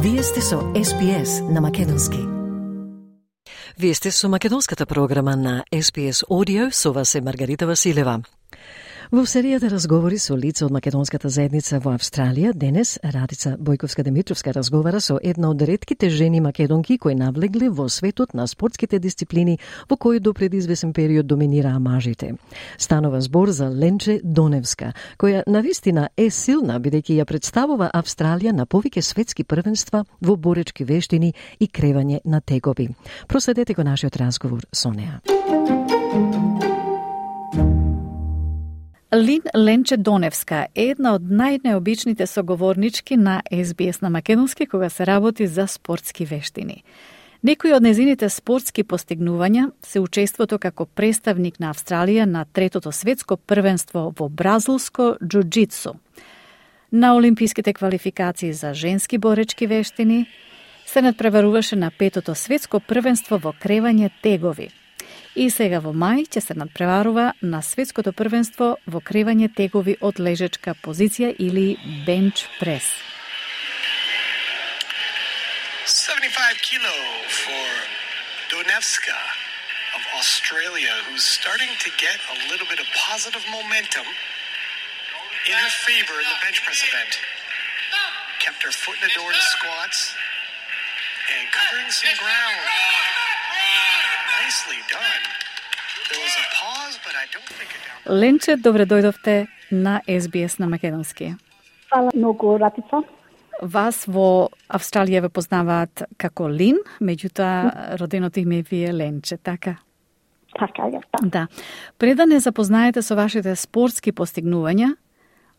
Вие сте со SPS на македонски. Вие сте со македонската програма на SPS Audio, со вас е Маргарита Василева. Во серијата разговори со лица од македонската заедница во Австралија, денес Радица Бојковска-Демитровска разговара со една од ретките жени македонки кои навлегле во светот на спортските дисциплини во кои до пред извесен период доминираа мажите. Станува збор за Ленче Доневска, која навистина е силна бидејќи ја представува Австралија на повеќе светски првенства во боречки вештини и кревање на тегови. Проследете го нашиот разговор со неа. Лин Ленче Доневска е една од најнеобичните соговорнички на SBS на македонски кога се работи за спортски вештини. Некои од незините спортски постигнувања се учеството како представник на Австралија на третото светско првенство во бразилско џуџицу, на олимписките квалификации за женски боречки вештини, се надпреваруваше на петото светско првенство во кревање тегови. И сега во мај ќе се надпреварува на светското првенство во кревање тегови од лежечка позиција или бенч прес. 75 kilo for Donevska of Australia, who's starting to get a little bit of positive momentum in her favor in the bench press event. Kept her foot in the door to squats and covering some ground. Nicely done. There was a pause, but I don't think it down. Ленче, добре дојдовте на SBS на македонски. Фала многу, Ратица. Вас во Австралија ве познаваат како Лин, меѓутоа роденото име ви е Ленче, така? Така е, Да. Пред да не запознаете со вашите спортски постигнувања,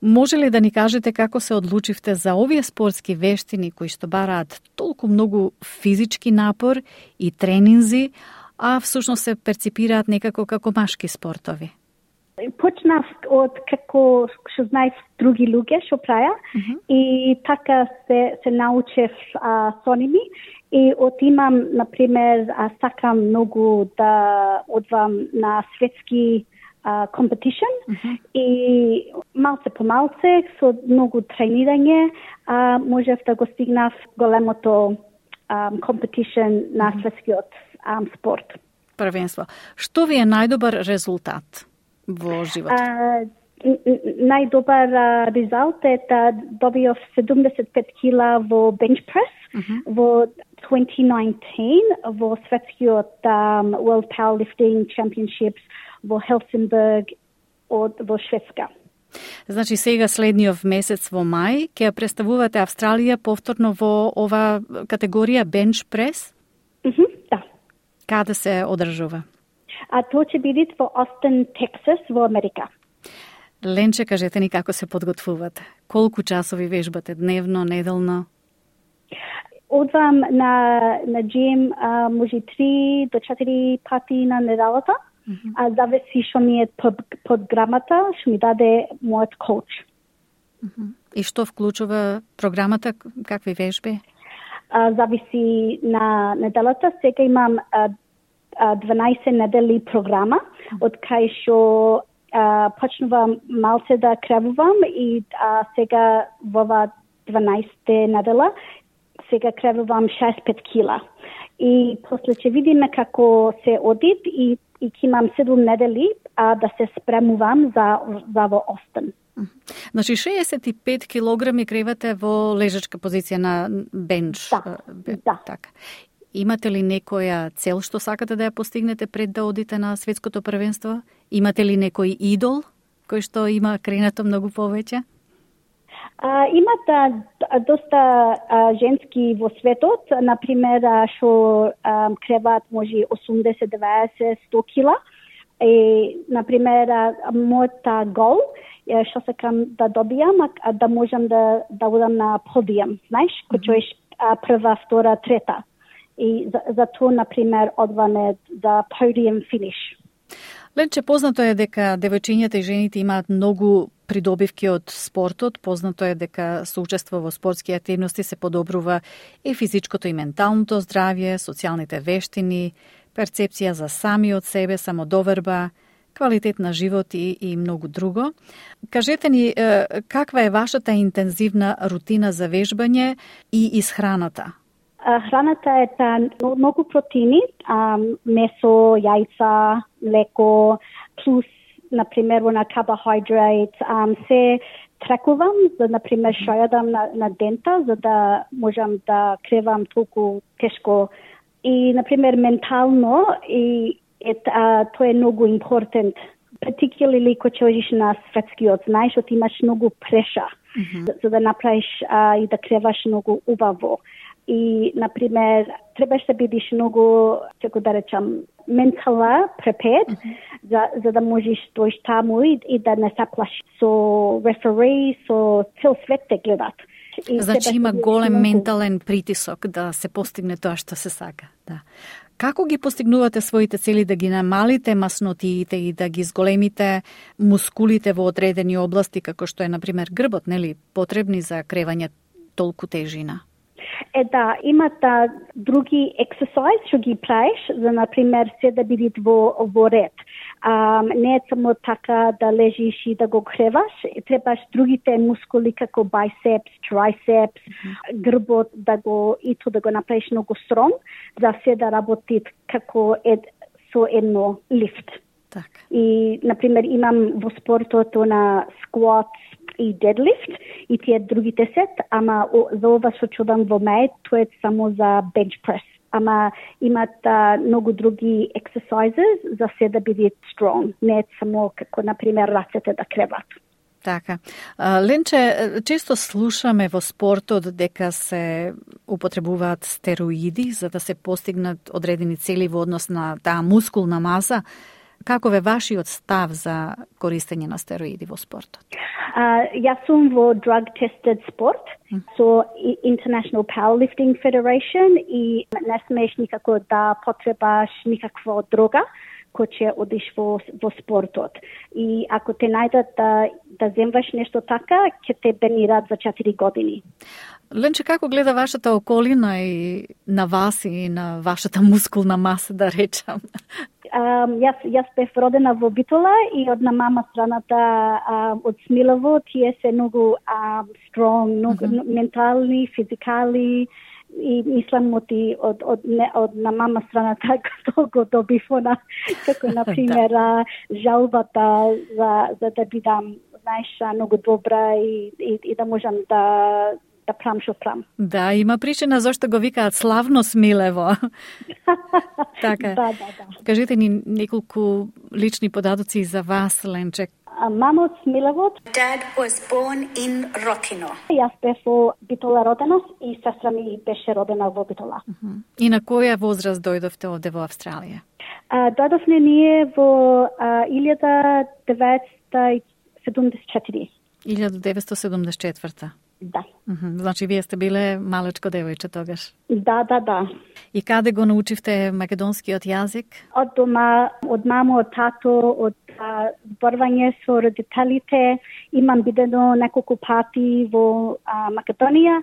може ли да ни кажете како се одлучивте за овие спортски вештини кои што бараат толку многу физички напор и тренинзи, а всушност се перципираат некако како машки спортови? Почнав од како што знаев други луѓе што праја и така се научев со ними и отимам, например, сакам многу да одвам на светски competition и малце по малце со многу тренирање можев да го стигнав големото competition на светскиот спорт. Првенство. Што ви е најдобар резултат во животот? Најдобар резултат е да добиов 75 кила во bench press во 2019 во светскиот World Powerlifting Championships во Хелсинбург во Шведска. Значи сега следниот месец во мај ќе представувате Австралија повторно во ова категорија bench press? Да. Каде се одржува? Тоа ќе биде во Остин, Тексас, во Америка. Ленче, кажете ни како се подготвувате? Колку часови вежбате дневно, неделно? Одвам на джим може 3 до 4 пати на неделата. Зависи што ми е програмата, што ми даде мојот коуч. И што вклучува програмата, какви вежби? Зависи на неделата. Сега имам 12 недели програма, од кај што почнувам малце да кревувам и сега во 12 недела сега кревувам 65 кила. И после ќе видиме како се одит и ќе имам 7 недели да се спремувам за во Остин. Значи 65 килограми кревате во лежачка позиција на бенч. Да. Така. Имате ли некоја цел што сакате да ја постигнете пред да одите на светското првенство? Имате ли некој идол кој што има кренато многу повеќе? Има доста женски во светот, например, што креваат може 80, 90, 100 кила. И, например, мојата гол е што сакам да добијам, да можам да одам на подиум, знаеш, кој е прва, втора, трета. И за тоа, например, одваме за podium finish. Ленче, познато е дека девојчињата и жените имаат многу придобивки од спортот, познато е дека со учество во спортски активности се подобрува и физичкото и менталното здравје, социјалните вештини, перцепција за самиот себе, самодоверба, квалитет на живот и многу друго. Кажете ни, каква е вашата интензивна рутина за вежбање и исхраната? Храната е многу протеини, месо, јајца, млеко, плюс, например, на карбохидрат, се трекувам, за, например, што јадам на дента, за да можам да кревам толку тешко. И, например, ментално, тоа е многу important. Particularly кога одиш на светскиот, знаеш, ти имаш многу преша, за да направиш и да креваш многу убаво. И, например, требаш да бидеш многу, како да речам, ментала prepared, за да можеш дојш таму и да не се плашиш со рефери, со цел свет те гледат. Значи има голем ментален притисок да се постигне тоа што се сака. Да. Како ги постигнувате своите цели да ги намалите маснотиите и да ги зголемите мускулите во одредени области, како што е, например, грбот, нели, потребни за кревање толку тежина? Да, имат други ексерсайз што ги правиш, за, например, се да бидат во ред. Не е само така да лежиш и да го креваш, требаш другите мускули како байсепс, трицепс, грбот да го направиш многу строн, за се да работи како со едно лифт. Так. И, например, имам во спортот на squats и deadlift и тие другите сет, ама за ова што чудам во меј, тоа е само за bench press. Ама имат многу други exercises за се да бидат strong. Не е само како, например, рацете да креват. Така. Ленче, често слушаме во спортот дека се употребуваат стероиди за да се постигнат одредени цели во однос на таа мускулна маса. Каков е вашиот став за користење на стероиди во спортот? Јас сум во drug tested спорт, со International Powerlifting Federation и не смееш никако да потребаш никаква дрога кој ќе одиш во спортот. И ако те најдат да земваш нешто така, ќе те бенираат за 4 години. Ленче, како гледа вашата околина и на вас и на вашата мускулна маса, да речам? Јас бев родена во Битола и од на мама страната од Смилово, тие се многу strong, многу ментални, физикали и мислам од на мама страната го добив она, како например жалбата за да бидам, знаеш, многу добра и да можам да прам што прам. Да, има причина зашто го викаат славно Смилево. Така. Да. Кажете ни неколку лични податоци за вас, Ленче. Мама од Смилево. Dad was born in Rotino. Јас бев во Битола родена и сестра ми беше родена во Битола. И на која возраст дојдовте овде во Австралија? Дојдовме ние во 1974. 1974. Да. Значи, вие сте биле малечко девојче тогаш. Да. И каде го научивте македонскиот јазик? Од дома, од мамо, од тато, од зборување со родителите. Имам бидено неколку пати во Македонија,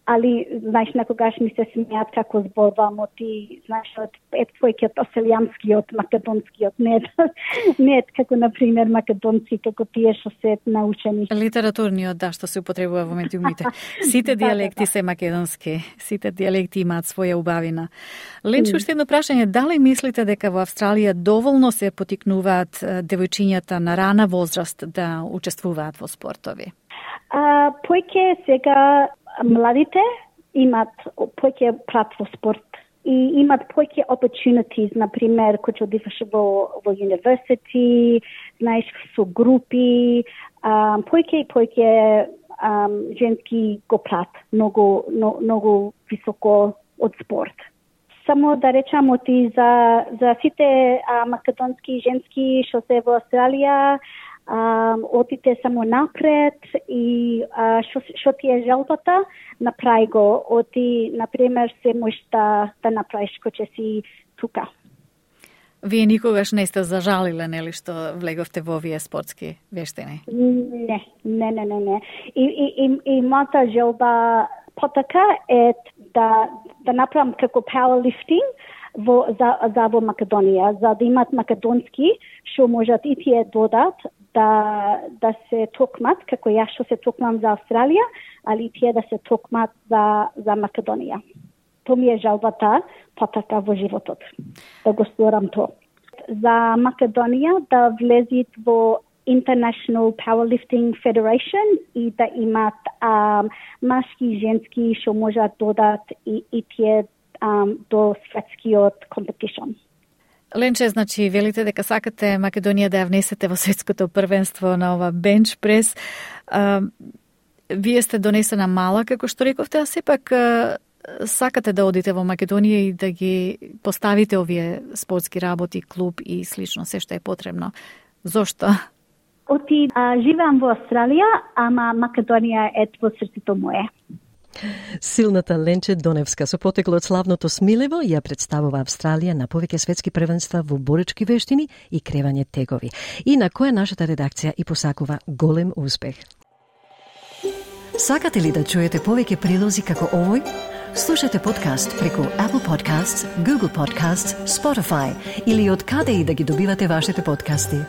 али, знаеш, некогаш ми се смеат како зборувам ти, знаеш, твојкиот оселјанскиот, македонскиот, не е како, например, македонци, како тие што се научени. Литературниот, да, што се употребува во медиумите. Сите дијалекти се македонски, сите дијалекти имаат своја убавина. Ленче, уште едно прашање, дали мислите дека во Австралија доволно се потикнуваат девојчињата на рана возраст да учествуваат во спортови? Поеќе сега младите имат поеќе прат во спорт и имат поеќе opportunities, например, кој одиваш во универзитет, знаеш, со групи, поеќе женски го прат многу високо од спорт. Само да речам за сите македонски женски што се во Австралија, отите само напред и што ти е желбата, направи го. Оти, например, се можеш да направиш кој ќе си тука. Вие никогаш не сте зажалиле, нели, што влеговте во овие спортски вештини? Не. И мојата желба потака е да направам како powerlifting, за во Македонија, за да имат македонски, што можат и тие додат да се токмат, како јас што се токмам за Австралија, али тие да се токмат за Македонија. То ми е жалбата, па така во животот, да го сторам то. За Македонија да влезит во International Powerlifting Federation и да имат машки и женски што можат додат и тие до светскиот компетишн. Ленче, значи, велите дека сакате Македонија да ја внесете во светското првенство на ова бенч прес. Вие сте донесена мала, како што рековте, а сепак сакате да одите во Македонија и да ги поставите овие спортски работи, клуб и слично, се што е потребно. Зошто? Живеам во Австралија, ама Македонија е во срцето мое. Силната Ленче Доневска со потекло од славното Смилево ја представува Австралија на повеќе светски првенства во боречки вештини и кревање тегови. И на која нашата редакција и посакува голем успех. Сакате ли да чуете повеќе прилози како овој? Слушате подкаст преку Apple Podcasts, Google Podcasts, Spotify или од каде и да ги добивате вашите подкасти.